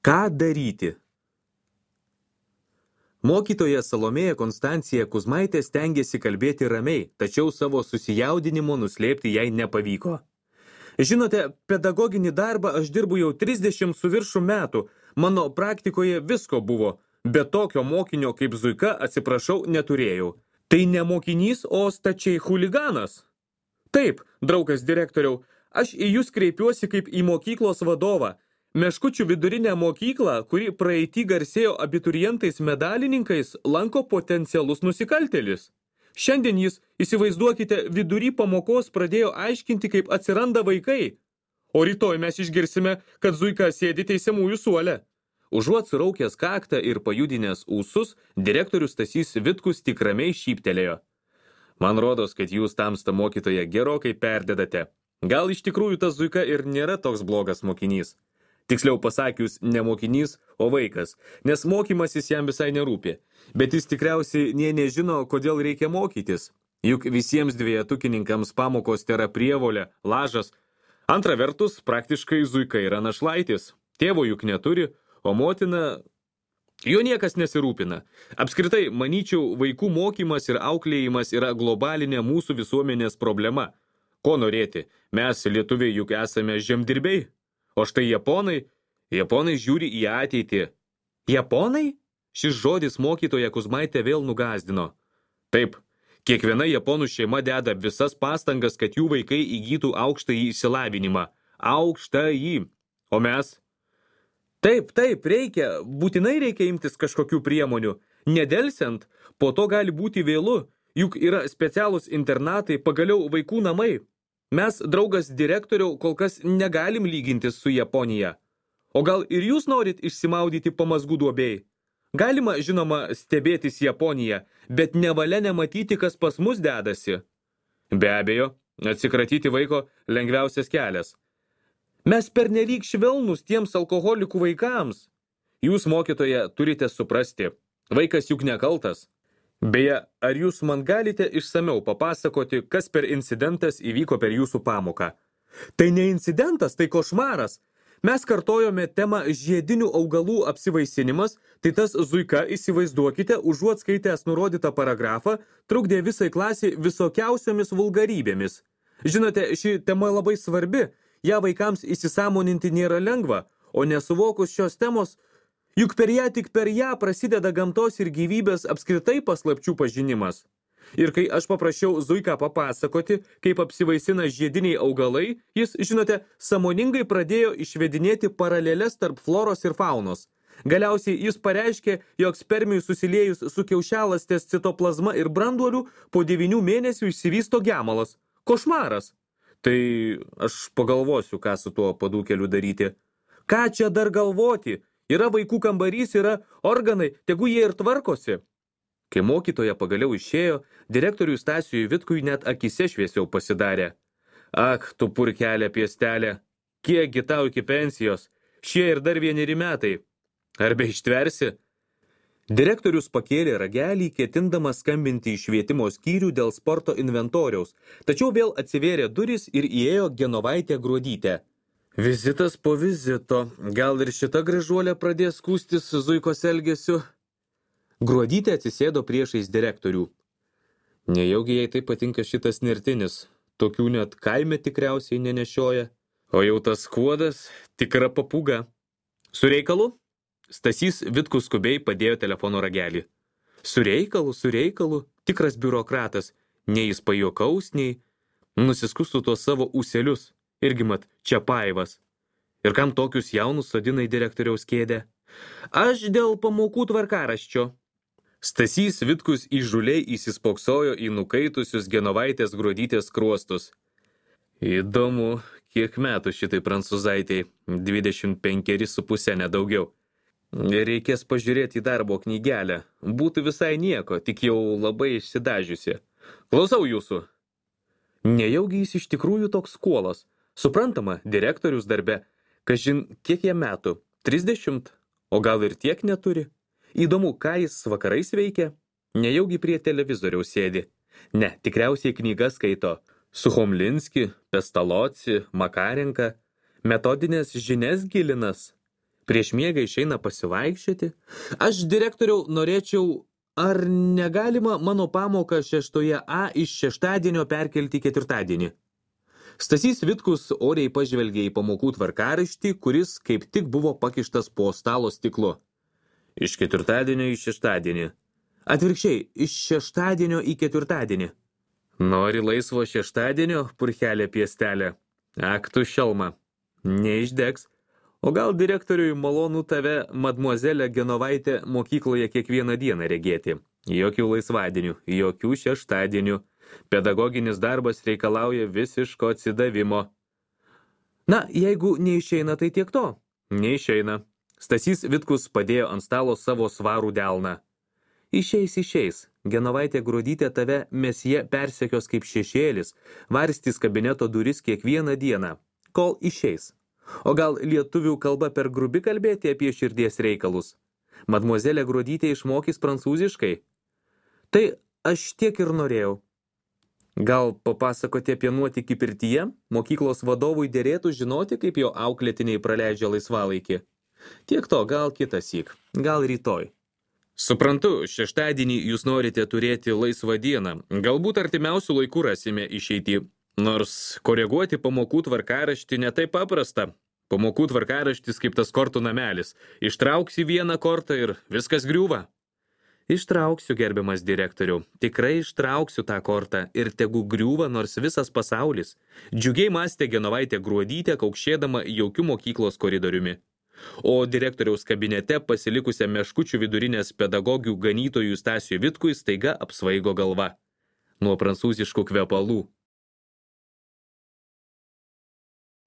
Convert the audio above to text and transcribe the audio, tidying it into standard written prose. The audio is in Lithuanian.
Ką daryti? Mokytoja Salomėja Konstancija Kuzmaitė stengėsi kalbėti ramiai, tačiau savo susijaudinimo nuslėpti jai nepavyko. Žinote, pedagoginį darbą aš dirbu jau 30 su viršum metų. Mano praktikoje visko buvo, bet tokio mokinio kaip Zuika, atsiprašau, neturėjau. Tai ne mokinys, o stačiai chuliganas. Taip, draugas direktoriau, aš į jūs kreipiuosi kaip į mokyklos vadovą. Meškučių vidurinę mokyklą, kuri praeitį garsėjo abiturientais medalininkais, lanko potencialus nusikaltėlis. Šiandien jis, įsivaizduokite, vidury pamokos pradėjo aiškinti, kaip atsiranda vaikai. O rytoj mes išgirsime, kad Zuika sėdi teisiamųjų suole. Užuot suraukęs kaktą ir pajudinęs ūsus, direktorius Stasys Vitkus tik ramiai šyptelėjo. Man rodos, kad jūs tamsta mokytoja gerokai perdedate. Gal iš tikrųjų tas Zuika ir nėra toks blogas mokinys. Tiksliau pasakius, ne mokinys, o vaikas, nes mokymasis jam visai nerūpi. Bet jis tikriausiai nežino, kodėl reikia mokytis. Juk visiems dvejetukininkams pamokos tėra prievolė, lažas. Antra vertus, praktiškai Zuika yra našlaitis. Tėvo juk neturi, o motina... Jo niekas nesirūpina. Apskritai, manyčiau, vaikų mokymas ir auklėjimas yra globalinė mūsų visuomenės problema. Ko norėti? Mes, lietuviai, juk esame žemdirbiai. O štai Japonai žiūri į ateitį. Japonai? Šis žodis mokytoja Kuzmaitė vėl nugazdino. Taip, kiekviena japonų šeima deda visas pastangas, kad jų vaikai įgytų aukštąjį išsilavinimą. Aukštąjį. O mes? Taip, būtinai reikia imtis kažkokių priemonių. Nedelsiant, po to gali būti vėlu, juk yra specialūs internatai, pagaliau vaikų namai. Mes, draugas direktoriau, kol kas negalim lygintis su Japonija. O gal ir jūs norit išsimaudyti pamazgų duobėjai? Galima, žinoma, stebėtis Japoniją, bet nevalia nematyti, kas pas mus dedasi. Be abejo, atsikratyti vaiko lengviausias kelias. Mes pernelyg švelnūs tiems alkoholikų vaikams. Jūs, mokytoja, turite suprasti. Vaikas juk nekaltas. Beje, ar jūs man galite išsamiau papasakoti, kas per incidentas įvyko per jūsų pamoką? Tai ne incidentas, tai košmaras. Mes kartojome temą žiedinių augalų apsivaisinimas, tai tas Zuika, įsivaizduokite, užuot skaitęs nurodytą paragrafą, trukdė visai klasiai visokiausiomis vulgarybėmis. Žinote, ši tema labai svarbi, ją vaikams įsisąmoninti nėra lengva, o nesuvokus šios temos, juk tik per ją prasideda gamtos ir gyvybės apskritai paslapčių pažinimas. Ir kai aš paprašiau Zuiką papasakoti, kaip apsivaisina žiediniai augalai, jis, žinote, sąmoningai pradėjo išvedinėti paraleles tarp floros ir faunos. Galiausiai jis pareiškė, jog spermijų susiliejus su kiaušialąstės citoplazma ir branduoliu po 9 mėnesių išsivysto gemalas. Košmaras. Tai aš pagalvosiu, ką su tuo padūkeliu daryti. Ką čia dar galvoti? Yra vaikų kambarys, yra organai, tegu jie ir tvarkosi. Kai mokytoja pagaliau išėjo, direktoriui Stasiui Vitkui net akise šviesiau pasidarė. Ak, tu purkelė piestelė, kiekgi tau iki pensijos, šie ir dar 1 metai. Ar be ištversi? Direktorius pakėlė ragelį, ketindamas skambinti į švietimo skyrių dėl sporto inventoriaus, tačiau vėl atsivėrė durys ir įėjo Genovaitė Gruodytė. Vizitas po vizito, gal ir šita gražuolė pradės skųstis Zuikos elgesiu? Gruodytė atsisėdo priešais direktorių. Nejaugi jai taip patinka šitas nertinis, tokių net kaime tikriausiai nenešioja. O jau tas skuodas tikra papūga. Su reikalu? Stasys Vitkus skubiai padėjo telefono ragelį. Su reikalu, tikras biurokratas, nei jis pajuokaus, nei nusiskustų tuos savo ūselius. Irgi mat, Čiapaivas. Ir kam tokius jaunus sodina į direktoriaus kėdę? Aš dėl pamokų tvarkaraščio. Stasys Vitkus įžuliai įsispoksojo į nukaitusius Genovaitės Gruodytės skruostus. Įdomu, kiek metų šitai prancūzaitei, 25,5 nedaugiau. Reikės pažiūrėti į darbo knygelę. Būtų visai nieko, tik jau labai išsidažiusi. Klausau jūsų. Nejaugi jis iš tikrųjų toks skuolas. Suprantama, direktorius darbe. Kažin, kiek jam metų? 30? O gal ir tiek neturi? Įdomu, ką jis vakarais veikia? Nejaugi prie televizoriaus sėdi. Ne, tikriausiai knygas skaito. Suchomlinski, Pestaloci, Makarenka. Metodinės žinias gilinas. Prieš miegą išeina pasivaikščioti. Aš, direktoriau, norėčiau, ar negalima mano pamoką 6A iš šeštadienio perkelti į ketvirtadienį? Stasys Vitkus oriai pažvelgė į pamokų tvarkaraštį, kuris kaip tik buvo pakištas po stalo stiklu. Iš ketvirtadienio į šeštadienį. Atvirkščiai, iš šeštadienio į ketvirtadienį. Nori laisvo šeštadienio, purchelė piestelė? Ak, tu šelma. Neišdegs. O gal direktoriui malonu tave, mademoiselle Genovaitė, mokykloje kiekvieną dieną regėti? Jokių laisvadienių, jokių šeštadienių. Pedagoginis darbas reikalauja visiško atsidavimo. Na, jeigu neišeina, tai tiek to. Neišeina. Stasys Vitkus padėjo ant stalo savo svarų delną. Išeis. Genovaitė Gruodytė tave mesje persekios kaip šešėlis, varstys kabineto duris kiekvieną dieną, kol išeis. O gal lietuvių kalba per grubi kalbėti apie širdies reikalus? Mademoiselle Gruodytė išmokys prancūziškai? Tai aš tiek ir norėjau. Gal papasakoti apie nuotykį pirtyje? Mokyklos vadovui derėtų žinoti, kaip jo auklėtiniai praleidžia laisvalaikį. Tiek to, gal kitąsyk, gal rytoj. Suprantu, šeštadienį jūs norite turėti laisvą dieną. Galbūt artimiausių laikų rasime išeitį. Nors koreguoti pamokų tvarkaraštį netaip paprasta. Pamokų tvarkaraštis kaip tas kortų namelis. Ištrauksi vieną kortą ir viskas griūva. Ištrauksiu, gerbiamas direktoriau. Tikrai ištrauksiu tą kortą ir tegu griūva nors visas pasaulis. Džiugiai mąstė Genovaitė Gruodytė, kaukšėdama jaukiu mokyklos koridoriumi. O direktoriaus kabinete pasilikusią Meškučių vidurinės pedagogių ganytojų Stasiui Vitkui staiga apsvaigo galva. Nuo prancūziškų kvepalų.